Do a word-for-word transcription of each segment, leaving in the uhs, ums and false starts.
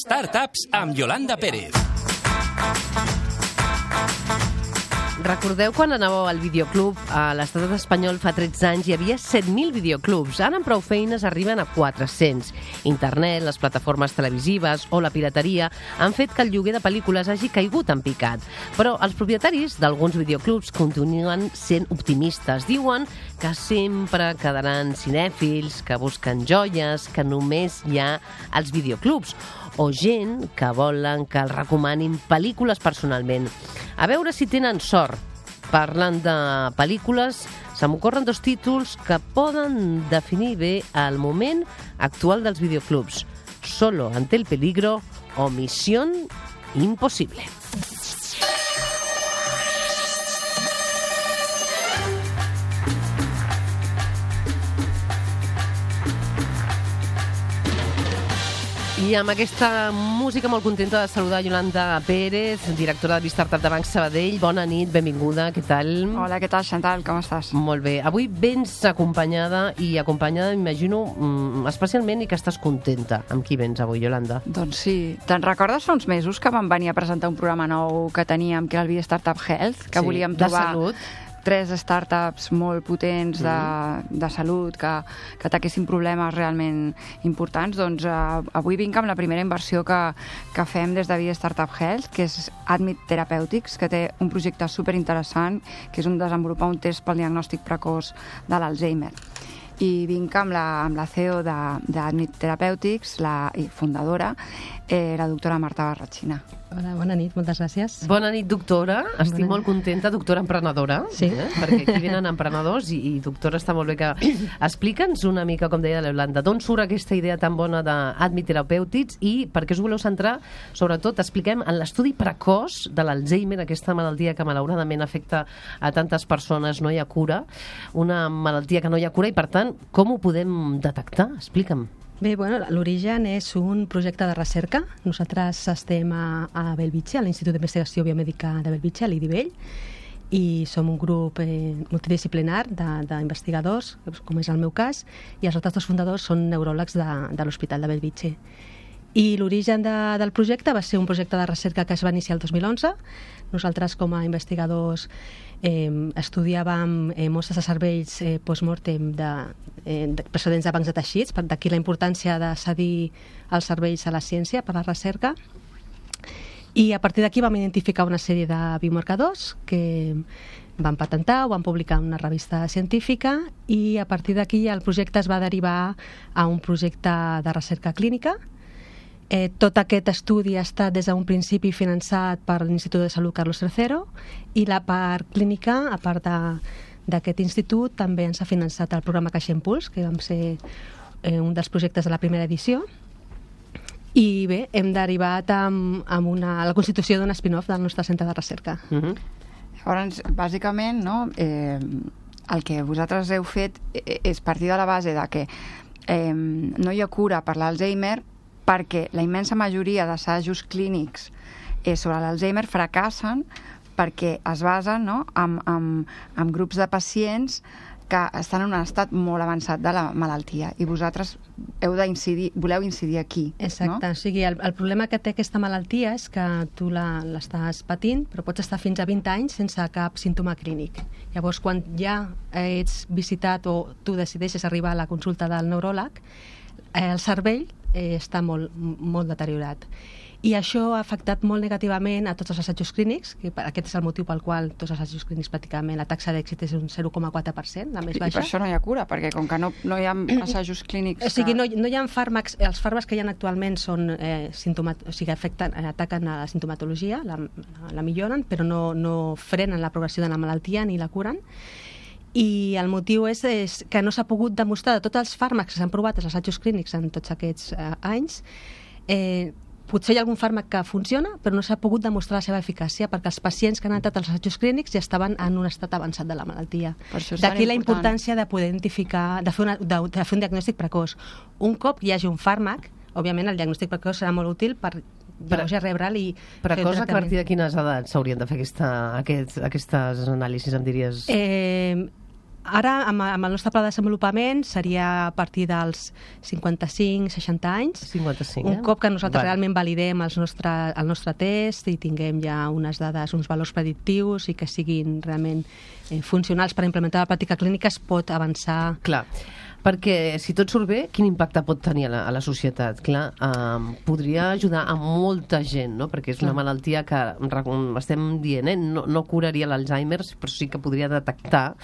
Startups amb Yolanda Pérez. Recordeu quan anàveu al videoclub? A l'estat espanyol fa tretze anys hi havia set mil videoclubs. Ara amb prou feines arriben a quatre-cents. Internet, les plataformes televisives o la pirateria han fet que el lloguer de pel·lícules hagi caigut en picat. Però els propietaris d'alguns videoclubs continuen sent optimistes. Diuen que sempre quedaran cinèfils, que busquen joies, que només hi ha als videoclubs, o gent que volen que els recomanin pel·lícules personalment. A veure si tenen sort. Parlant de pel·lícules, se m'ocorren dos títols que poden definir bé el moment actual dels videoclubs. Solo ante el peligro o Misión Imposible. I amb aquesta música molt contenta de saludar Yolanda Pérez, directora de Startup de Banc Sabadell. Bona nit, benvinguda, què tal? Hola, què tal, Chantal, com estàs? Molt bé. Avui vens acompanyada, i acompanyada, m'imagino, especialment, i que estàs contenta. Amb qui vens avui, Yolanda? Doncs sí. Te'n recordes fa uns mesos que vam venir a presentar un programa nou que teníem, que era el Via Startup Health, que sí, volíem trobar... de salut. tres startups molt potents de, de salut que, que ataquessin problemes realment importants, doncs uh, avui vinc amb la primera inversió que, que fem des de Via Startup Health, que és Admit Therapeutics, que té un projecte superinteressant, que és un desenvolupar un test pel diagnòstic precoç de l'Alzheimer. I vinc amb la, amb la C E O d'Admit Therapeutics, la fundadora, eh, la doctora Marta Barratxina. Hola, bona nit, moltes gràcies. Bona nit, doctora. Estic molt contenta, doctora emprenedora, sí. eh? Perquè aquí venen emprenedors i, i doctora, està molt bé que... Explica'ns una mica, com deia la Yolanda, d'on surt aquesta idea tan bona d'Admit Therapeutics i per què us voleu centrar, sobretot, expliquem, en l'estudi precoç de l'Alzheimer, aquesta malaltia que malauradament afecta a tantes persones, no hi ha cura, una malaltia que no hi ha cura i, per tant, com ho podem detectar? Explica'm. Bé, bueno, l'origen és un projecte de recerca. Nosaltres estem a, a Bellvitge, a l'Institut d'Investigació Biomèdica de Bellvitge, a l'I D I Bell, i som un grup eh, multidisciplinar d'investigadors, com és el meu cas, i els altres dos fundadors són neuròlegs de, de l'Hospital de Bellvitge. I l'origen de, del projecte va ser un projecte de recerca que es va iniciar el dos mil onze. Nosaltres, com a investigadors, eh, estudiàvem eh, mostres de cervells eh, post-mortem de, eh, de procedents de bancs de teixits, per d'aquí la importància de cedir els cervells a la ciència per la recerca. I a partir d'aquí vam identificar una sèrie de biomarcadors que vam patentar, ho vam publicar en una revista científica, i a partir d'aquí el projecte es va derivar a un projecte de recerca clínica. Eh, tot aquest estudi ha estat des d'un principi finançat per l'Institut de Salut Carlos tercero, i la part clínica, a part d'aquest institut, també ens ha finançat el programa Caixa Impuls, que vam ser eh, un dels projectes de la primera edició. I bé, hem derivat amb, amb una, la constitució d'un spin-off del nostre centre de recerca. Uh-huh. Llavors, bàsicament, no, eh, el que vosaltres heu fet és partir de la base de que eh, no hi ha cura per l'Alzheimer, perquè la immensa majoria d'assajos clínics eh, sobre l'Alzheimer fracassen perquè es basen, no, en, en, en grups de pacients que estan en un estat molt avançat de la malaltia, i vosaltres heu d'incidir, voleu incidir aquí. Exacte, no? O sigui, el, el problema que té aquesta malaltia és que tu l'estàs patint, però pots estar fins a vint anys sense cap símptoma clínic. Llavors, quan ja ets visitat o tu decideixes arribar a la consulta del neuròleg, eh, el cervell eh, està molt, molt deteriorat. I això ha afectat molt negativament a tots els assajos clínics, que aquest és el motiu pel qual tots els assajos clínics pràcticament la taxa d'èxit és un zero coma quatre per cent, la més baixa. I per això no hi ha cura, perquè com que no, no hi ha assajos clínics... O sigui, que... no, no hi ha fàrmacs, els fàrmacs que hi ha actualment són, eh, sintomat... o sigui, afecten, ataquen a la sintomatologia, la, la milloren, però no, no frenen la progressió de la malaltia ni la curen. I el motiu és, és que no s'ha pogut demostrar de tots els fàrmacs que s'han provat als assajos clínics en tots aquests eh, anys, eh, potser hi ha algun fàrmac que funciona, però no s'ha pogut demostrar la seva eficàcia, perquè els pacients que han entrat als assajos clínics ja estaven en un estat avançat de la malaltia. D'aquí la importància de poder identificar, de fer, una, de, de fer un diagnòstic precoç. Un cop hi hagi un fàrmac, òbviament el diagnòstic precoç serà molt útil per llavors ja rebre'l i... Precoç, a partir de quines edats s'haurien de fer aquesta, aquest, aquestes anàlisis, em diries? Eh, Ara, amb, amb el nostre pla de desenvolupament, seria a partir dels cinquanta-cinc seixanta anys. cinquanta-cinc, Un eh? cop que nosaltres Vale. realment validem els nostre, el nostre test i tinguem ja unes dades, uns valors predictius i que siguin realment eh, funcionals per implementar la pràctica clínica, es pot avançar. Clar, perquè si tot surt bé, quin impacte pot tenir a la, a la societat? Clar, um, podria ajudar a molta gent, no? Perquè és una malaltia que estem dient, eh? no, no curaria l'Alzheimer, però sí que podria detectar,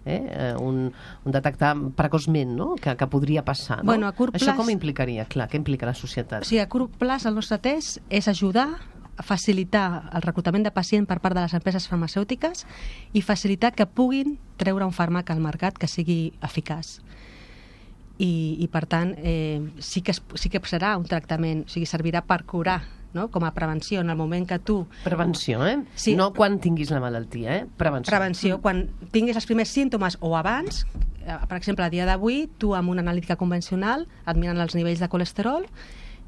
eh? un, un detectar precoçment, no? que, que podria passar. No? Bueno, a curt Això plaç- com implicaria? Clar, què implica la societat? O sigui, a curt plaç el nostre test és ajudar a facilitar el reclutament de pacient per part de les empreses farmacèutiques i facilitar que puguin treure un fàrmac al mercat que sigui eficaç. I, i per tant, eh, sí, que es, sí que serà un tractament, o sigui, servirà per curar, no? Com a prevenció, en el moment que tu... Prevenció, eh? Sí. No quan tinguis la malaltia, eh? Prevenció. Prevenció, quan tinguis els primers símptomes o abans, eh, per exemple, a dia d'avui, tu amb una analítica convencional et miren els nivells de colesterol,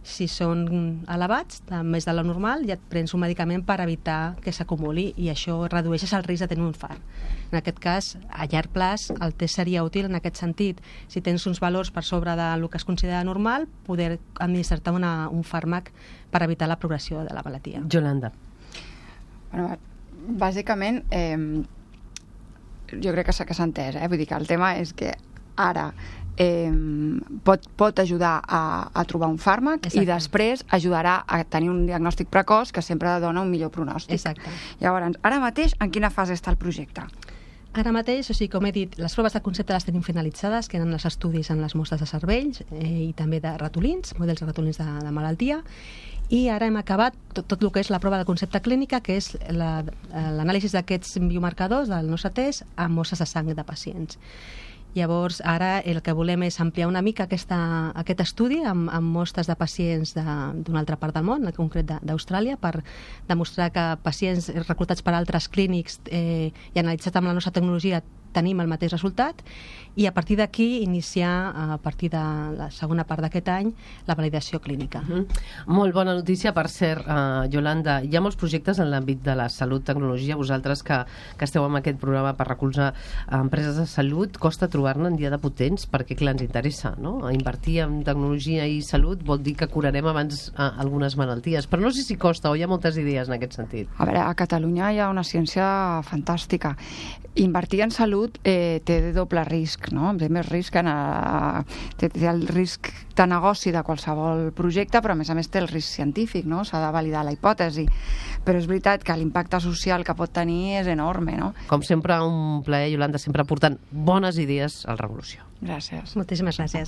si són elevats, més de lo normal, ja et prens un medicament per evitar que s'acumuli i això redueixes el risc de tenir un infart. En aquest cas, a llarg plaç, el test seria útil en aquest sentit. Si tens uns valors per sobre del que es considera normal, poder administrar-te una, un fàrmac per evitar la progressió de la malaltia. Yolanda. Bueno, bàsicament, eh, jo crec que s'ha que s'ha entès, eh? Vull dir que el tema és que ara eh, pot, pot ajudar a, a trobar un fàrmac. Exacte. I després ajudarà a tenir un diagnòstic precoç que sempre dona un millor pronòstic. Exacte. Llavors, ara mateix, en quina fase està el projecte? Ara mateix, o sigui, com he dit, les proves de concepte les tenim finalitzades, que eren els estudis en les mostres de cervells eh, i també de ratolins, models de ratolins de, de malaltia, i ara hem acabat tot, tot el que és la prova de concepte clínica, que és la- l'anàlisi d'aquests biomarcadors del nostre test amb mostres de sang de pacients. Llavors, ara el que volem és ampliar una mica aquesta, aquest estudi amb, amb mostres de pacients de- d'una altra part del món, en concret de- d'Austràlia, per demostrar que pacients reclutats per altres clínics eh, i analitzats amb la nostra tecnologia tenim el mateix resultat, i a partir d'aquí iniciar, a partir de la segona part d'aquest any, la validació clínica. Mm. Molt bona notícia, per cert, uh, Yolanda. Hi ha molts projectes en l'àmbit de la salut, tecnologia. Vosaltres que, que esteu amb aquest programa per recolzar uh, empreses de salut, costa trobar-ne en dia de potents, perquè clar, ens interessa, no? Invertir en tecnologia i salut vol dir que curarem abans uh, algunes malalties, però no sé si costa o hi ha moltes idees en aquest sentit. A veure, a Catalunya hi ha una ciència fantàstica. Invertir en salut eh, té de doble risc, no? Té més risc que a, té, té el risc de negoci de qualsevol projecte, però a més a més té el risc científic, no? S'ha de validar la hipòtesi. Però és veritat que l'impacte social que pot tenir és enorme, no? Com sempre, un plaer, Yolanda, sempre portant bones idees al Revolució. Gràcies. Moltíssimes gràcies.